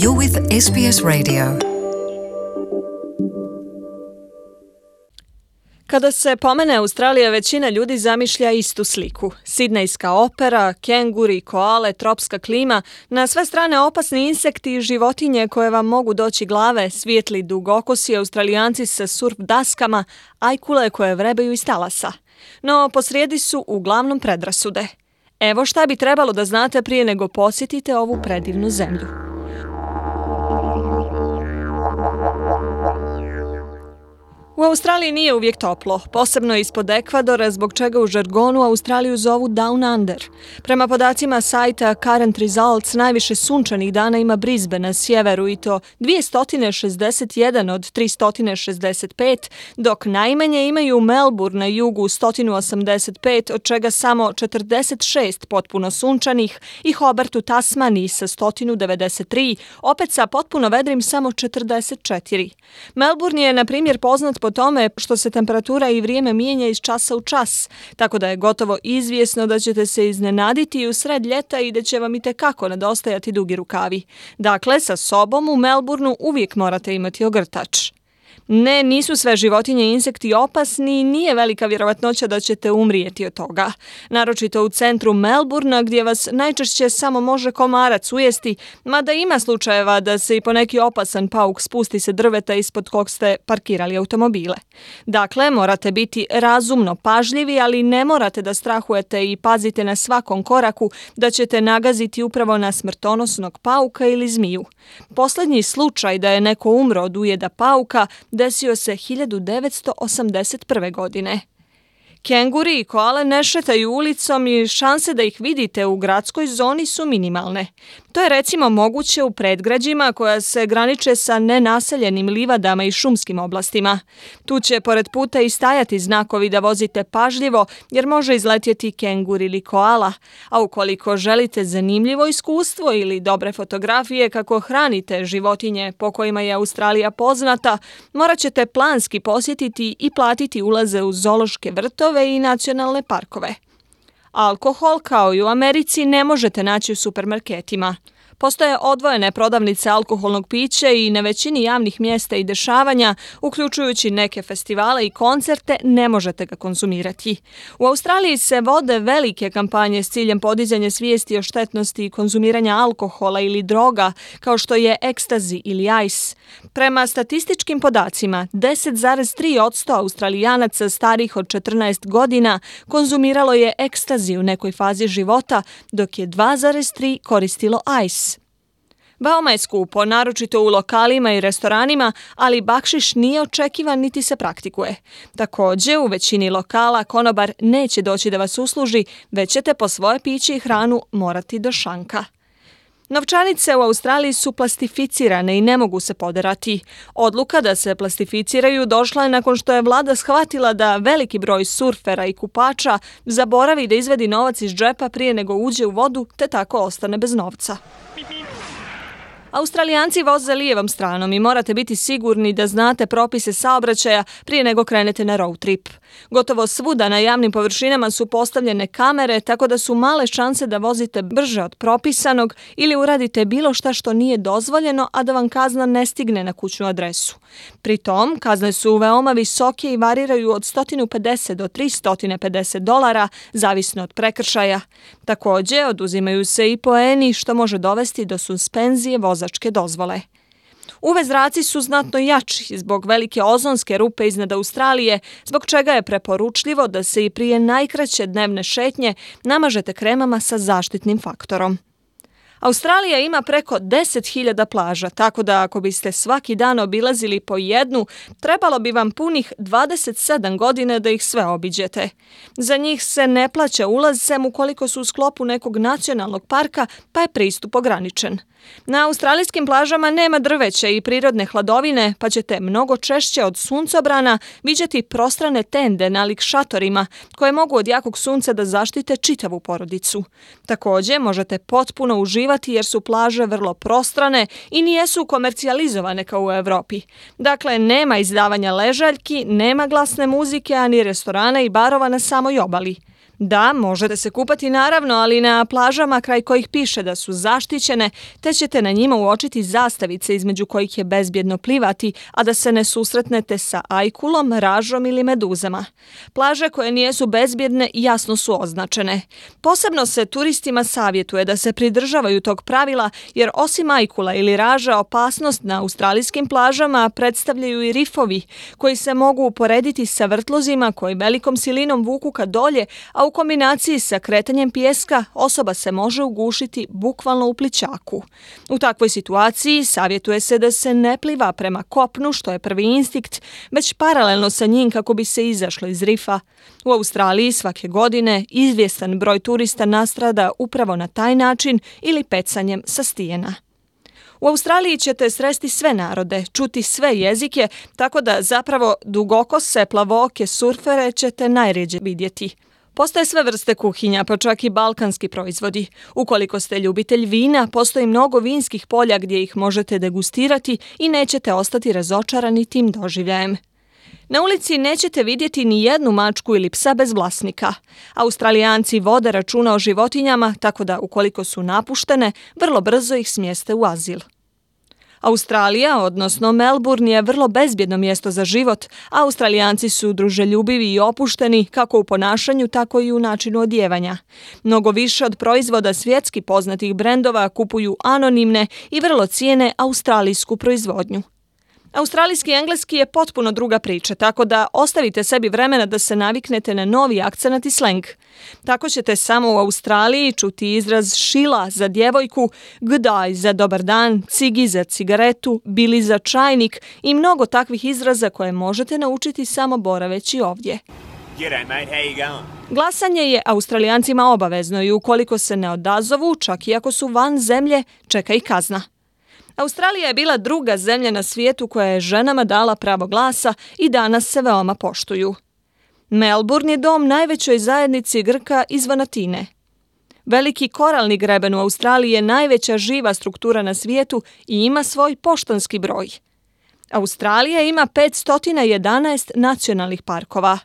You're with SBS Radio. Kada se pomene Australija, većina ljudi zamišlja istu sliku. Sidnejska opera, kenguri, koale, tropska klima, na sve strane opasni insekti i životinje koje vam mogu doći glave, svijetli dugokosi Australijanci sa surf daskama, ajkule koje vrebaju iz talasa. No, posrijedi su uglavnom predrasude. Evo šta bi trebalo da znate prije nego posjetite ovu predivnu zemlju. U Australiji nije uvijek toplo, posebno ispod Ekvadora, zbog čega u žargonu Australiju zovu Down Under. Prema podacima sajta Current Results, najviše sunčanih dana ima Brisbane na sjeveru i to 261 od 365, dok najmanje imaju Melbourne na jugu 185, od čega samo 46 potpuno sunčanih, i Hobart u Tasmaniji sa 193, opet sa potpuno vedrim samo 44. Melbourne je, na primjer, poznat po tome što se temperatura i vrijeme mijenja iz časa u čas, tako da je gotovo izvjesno da ćete se iznenaditi i u sred ljeta i da će vam itekako nedostajati dugi rukavi. Dakle, sa sobom u Melbourneu uvijek morate imati ogrtač. Ne, nisu sve životinje i insekti opasni i nije velika vjerovatnoća da ćete umrijeti od toga. Naročito u centru Melbournea, gdje vas najčešće samo može komarac ujesti, mada ima slučajeva da se i poneki opasan pauk spusti sa drveta ispod kog ste parkirali automobile. Dakle, morate biti razumno pažljivi, ali ne morate da strahujete i pazite na svakom koraku da ćete nagaziti upravo na smrtonosnog pauka ili zmiju. Posljednji slučaj da je neko umro od ujeda pauka desio se 1981. godine. Kenguri i koale ne šetaju ulicom i šanse da ih vidite u gradskoj zoni su minimalne. To je recimo moguće u predgrađima koja se graniče sa nenaseljenim livadama i šumskim oblastima. Tu će pored puta i stajati znakovi da vozite pažljivo jer može izletjeti kengur ili koala. A ukoliko želite zanimljivo iskustvo ili dobre fotografije kako hranite životinje po kojima je Australija poznata, morat ćete planski posjetiti i platiti ulaze u zoološke vrtove i nacionalne parkove. Alkohol, kao i u Americi, ne možete naći u supermarketima. Postoje odvojene prodavnice alkoholnog pića i na većini javnih mjesta i dešavanja, uključujući neke festivale i koncerte, ne možete ga konzumirati. U Australiji se vode velike kampanje s ciljem podizanja svijesti o štetnosti konzumiranja alkohola ili droga, kao što je ekstazi ili ice. Prema statističkim podacima, 10,3% Australijanaca starih od 14 godina konzumiralo je ekstazi u nekoj fazi života, dok je 2,3% koristilo ice. Veoma je skupo, naročito u lokalima i restoranima, ali bakšiš nije očekivan niti se praktikuje. Također, u većini lokala konobar neće doći da vas usluži, već ćete po svoje piće i hranu morati do šanka. Novčanice u Australiji su plastificirane i ne mogu se poderati. Odluka da se plastificiraju došla je nakon što je vlada shvatila da veliki broj surfera i kupača zaboravi da izvedi novac iz džepa prije nego uđe u vodu, te tako ostane bez novca. Australijanci voze lijevom stranom i morate biti sigurni da znate propise saobraćaja prije nego krenete na road trip. Gotovo svuda na javnim površinama su postavljene kamere, tako da su male šanse da vozite brže od propisanog ili uradite bilo šta što nije dozvoljeno, a da vam kazna ne stigne na kućnu adresu. Pri tom, kazne su veoma visoke i variraju od 150 do $350, zavisno od prekršaja. Također, oduzimaju se i poeni, što može dovesti do suspenzije vozačke dozvole. UV zraci su znatno jači zbog velike ozonske rupe iznad Australije, zbog čega je preporučljivo da se i prije najkraće dnevne šetnje namažete kremama sa zaštitnim faktorom. Australija ima preko 10.000 plaža, tako da ako biste svaki dan obilazili po jednu, trebalo bi vam punih 27 godina da ih sve obiđete. Za njih se ne plaća ulaz sem ukoliko su u sklopu nekog nacionalnog parka, pa je pristup ograničen. Na australijskim plažama nema drveća i prirodne hladovine, pa ćete mnogo češće od suncobrana viđati prostrane tende nalik šatorima, koje mogu od jakog sunca da zaštite čitavu porodicu. Također možete potpuno uživati jer su plaže vrlo prostrane i nijesu komercijalizovane kao u Europi. Dakle, nema izdavanja ležaljki, nema glasne muzike, ani restorana i barova na samoj obali. Da, možete se kupati naravno, ali na plažama kraj kojih piše da su zaštićene, te ćete na njima uočiti zastavice između kojih je bezbjedno plivati, a da se ne susretnete sa ajkulom, ražom ili meduzama. Plaže koje nisu bezbjedne jasno su označene. Posebno se turistima savjetuje da se pridržavaju tog pravila, jer osim ajkula ili raža opasnost na australijskim plažama predstavljaju i rifovi, koji se mogu uporediti sa vrtlozima koji velikom silinom vuku ka dolje, a u kombinaciji sa kretanjem pijeska osoba se može ugušiti bukvalno u plićaku. U takvoj situaciji savjetuje se da se ne pliva prema kopnu, što je prvi instinkt, već paralelno sa njim kako bi se izašlo iz rifa. U Australiji svake godine izvjestan broj turista nastrada upravo na taj način ili pecanjem sa stijena. U Australiji ćete sresti sve narode, čuti sve jezike, tako da zapravo dugokose, plavooke, surfere ćete najrjeđe vidjeti. Postoje sve vrste kuhinja, pa čak i balkanski proizvodi. Ukoliko ste ljubitelj vina, postoji mnogo vinskih polja gdje ih možete degustirati i nećete ostati razočarani tim doživljajem. Na ulici nećete vidjeti ni jednu mačku ili psa bez vlasnika. Australijanci vode računa o životinjama, tako da ukoliko su napuštene, vrlo brzo ih smjeste u azil. Australija, odnosno Melbourne, je vrlo bezbjedno mjesto za život, a Australijanci su druželjubivi i opušteni kako u ponašanju, tako i u načinu odijevanja. Mnogo više od proizvoda svjetski poznatih brendova kupuju anonimne i vrlo cijene australijsku proizvodnju. Australijski engleski je potpuno druga priča, tako da ostavite sebi vremena da se naviknete na novi akcenat i sleng. Tako ćete samo u Australiji čuti izraz šila za djevojku, g'day za dobar dan, cigi za cigaretu, bili za čajnik i mnogo takvih izraza koje možete naučiti samo boraveći ovdje. G'day mate, how you going? Glasanje je Australijancima obavezno i ukoliko se ne odazovu, čak i ako su van zemlje, čeka i kazna. Australija je bila druga zemlja na svijetu koja je ženama dala pravo glasa i danas se veoma poštuju. Melbourne je dom najvećoj zajednici Grka iz Vanatine. Veliki koralni greben u Australiji je najveća živa struktura na svijetu i ima svoj poštanski broj. Australija ima 511 nacionalnih parkova.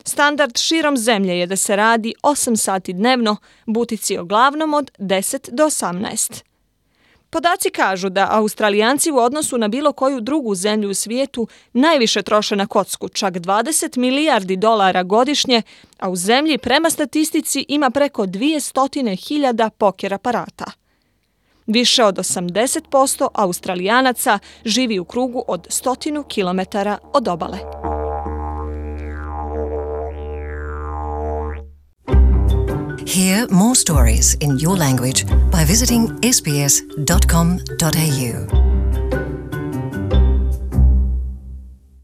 Standard širom zemlje je da se radi 8 sati dnevno, butici uglavnom od 10 do 18. Podaci kažu da Australijanci u odnosu na bilo koju drugu zemlju u svijetu najviše troše na kocku, čak 20 milijardi dolara godišnje, a u zemlji prema statistici ima preko 200.000 poker aparata. Više od 80% Australijanaca živi u krugu od 100 km od obale. Hear more stories in your language by visiting sbs.com.au.